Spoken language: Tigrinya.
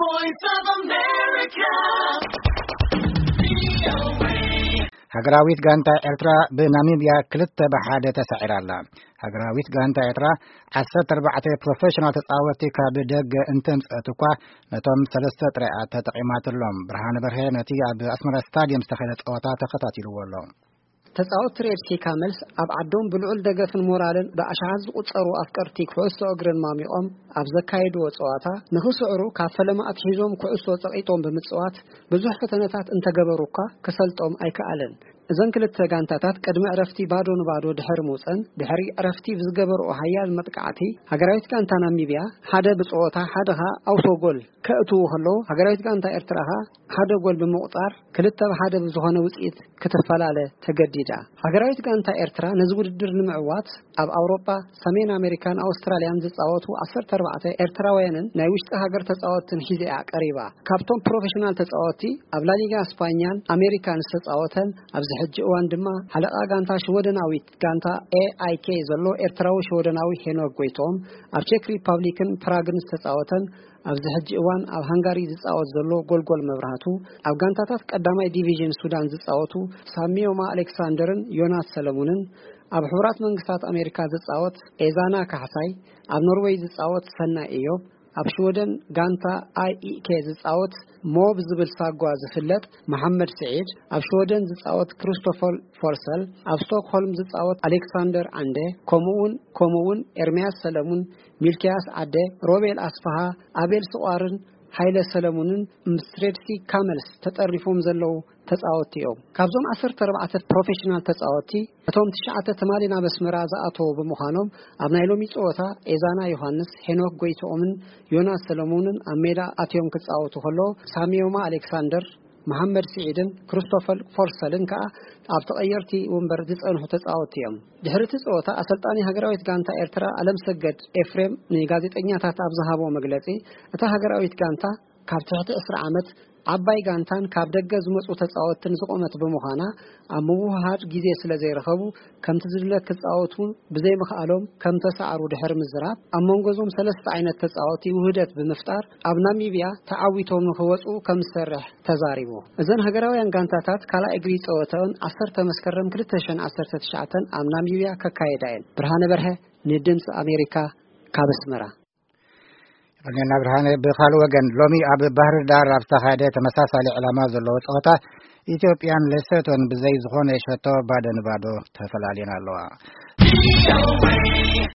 Voice of America. ሃገራዊት ጋንታ ኤርትራ ብናሚብያ ክልተ ብሓደ ተሳዒራ ኣላ። ሃገራዊት ጋንታ ኤርትራ ዓሰርተ ኣርባዕተ ፕሮፌሽናል ተጻወትቲ ካብ ደገ እንተምጽአት እኳ፣ ነቶም ሰለስተ ጥራይ እያ ተጠቒማትሎም። ብርሃነ በርሀ ነቲ ኣብ ኣስመራ ስታድየም ዝተኻየደ ጸወታ ተኸታቲልዎ ኣሎ። ተጻወትቲ ሬድ ሲ ካመልስ ኣብ ዓዶም ብልዑል ደገፍን ሞራልን ብኣሽሓት ዝቑጸሩ ኣፍቀርቲ ኩዕሶ እግርን ማሚቖም ኣብ ዘካየድዎ ጸዋታ፣ ንኽስዕሩ ካብ ፈለማ ኣትሒዞም ኩዕሶ ጸቒጦም ብምጽዋት ብዙሕ ፈተነታት እንተገበሩ እኳ፣ ክሰልጦም ኣይከኣለን። እዘን ክልተ ጋንታታት ቅድሚ ዕረፍቲ ባዶ ንባዶ ድሕሪ ምውጸን፣ ድሕሪ ዕረፍቲ ብዝገበርኦ ሓያል መጥቃዕቲ፣ ሃገራዊት ጋንታ ናሚብያ ሓደ ብጸወታ ሓደ ኸኣ ኣውቶ ጎል ከእትዉ ከለዉ፣ ሃገራዊት ጋንታ ኤርትራ ኸኣ ሓደ ጎል ብምቑጻር ክልተ ብ ሓደ ብዝኾነ ውጽኢት ክትፈላለ ተገዲዳ። ሃገራዊት ጋንታ ኤርትራ ነዚ ውድድር ንምዕዋት ኣብ ኣውሮጳ፣ ሰሜን ኣሜሪካን ኣውስትራልያን ዝጻወቱ ዓሰርተ ኣርባዕተ ኤርትራውያንን ናይ ውሽጢ ሃገር ተጻወትትን ሒዛ እያ ቀሪባ። ካብቶም ፕሮፌሽናል ተጻወትቲ ኣብ ላሊጋ ስፓኛን ኣሜሪካን ዝተጻወተን ኣብዚ ሕጂ እዋን ድማ ሓለቓ ጋንታ ሽወደናዊት ጋንታ ኤ ኣይ ኬ ዘሎ ኤርትራዊ ሽወደናዊ ሄኖክ ጎይትኦም ኣብ ቼክ ሪፓብሊክን ፕራግን ዝተጻወተን ኣብዚ ሕጂ እዋን ኣብ ሃንጋሪ ዝጻወት ዘሎ ጎልጎል መብራህቱ፣ ኣብ ጋንታታት ቀዳማይ ዲቪዥን ሱዳን ዝጻወቱ ሳሚዮማ ኣሌክሳንደርን ዮናስ ሰለሙንን፣ ኣብ ሕቡራት መንግስታት ኣሜሪካ ዝጻወት ኤዛና ካሕሳይ፣ ኣብ ኖርዌይ ዝጻወት ሰናይ እዮብ፣ ኣብ ሽወደን ጋንታ ኣይ ኢ ኬ ዝጻወት ሞብ ዝብል ሳጓ ዝፍለጥ መሓመድ ስዒድ፣ ኣብ ሽወደን ዝጻወት ክርስቶፈር ፎርሰል፣ ኣብ ስቶክሆልም ዝጻወት ኣሌክሳንደር ዓንደ፣ ከምኡውን ከምኡውን ኤርምያስ ሰለሙን፣ ሚልክያስ ዓደ፣ ሮቤል ኣስፍሃ፣ ኣቤል ስቋርን ሃይለ ሰለሙንን ምስ ሬድሲ ካመልስ ተጠሪፎም ዘለዉ ተጻወትቲ እዮም። ካብዞም ዓሰርተ ኣርባዕተ ፕሮፌሽናል ተጻወትቲ፣ እቶም ትሽዓተ ትማሊ ናብ ኣስመራ ዝኣተዉ ብምዃኖም፣ ኣብ ናይ ሎሚ ጸወታ ኤዛና ዮሃንስ፣ ሄኖክ ጎይትኦምን ዮናስ ሰለሙንን ኣብ ሜዳ ኣትዮም ክጻወቱ ከለዉ፣ ሳሚዮማ ኣሌክሳንደር፣ መሓመድ ስዒድን ክርስቶፈር ፎርሰልን ከኣ ኣብ ተቐየርቲ ወንበር ዝጸንሑ ተጻወትቲ እዮም። ድሕሪ እቲ ጸወታ፣ ኣሰልጣኒ ሃገራዊት ጋንታ ኤርትራ ኣለምሰገድ ኤፍሬም ንጋዜጠኛታት ኣብ ዝሃቦ መግለጺ፣ እታ ሃገራዊት ጋንታ ካብ ትሕቲ ዕስራ ዓመት ዓባይ ጋንታን ካብ ደገ ዝመጹ ተጻወትትን ዝቖመት ብምዃና፣ ኣብ ምውህሃድ ግዜ ስለ ዘይረኸቡ፣ ከምቲ ዝድለ ክጻወቱ ብዘይምኽኣሎም ከም ተሳዕሩ ድሕሪ ምዝራብ፣ ኣብ መንጎ እዞም ሰለስተ ዓይነት ተጻወትቲ ውህደት ብምፍጣር፣ ኣብ ናሚብያ ተዓዊቶም ንኽወጹ ከም ዝሰርሕ ተዛሪቡ። እዘን ሃገራውያን ጋንታታት ካልኣይ እግሪ ጸወተኦን ዓሰርተ መስከረም ክልተ ሽሕን ዓሰርተ ትሽዓተን ኣብ ናሚብያ ከካየዳ እየን። ብርሃነ በርሀ ንድምፂ ኣሜሪካ ካብ ኣስመራ። የቐንየልና ብርሃነ። ብኻልእ ወገን፣ ሎሚ ኣብ ባህር ዳር ኣብ ዝተኻየደ ተመሳሳሊ ዕላማ ዘለዎ ጸወታ፣ ኢትዮጵያን ሌሶቶን ብዘይ ዝኾነ ሸቶ ባዶ ንባዶ ተፈላልየን ኣለዋ።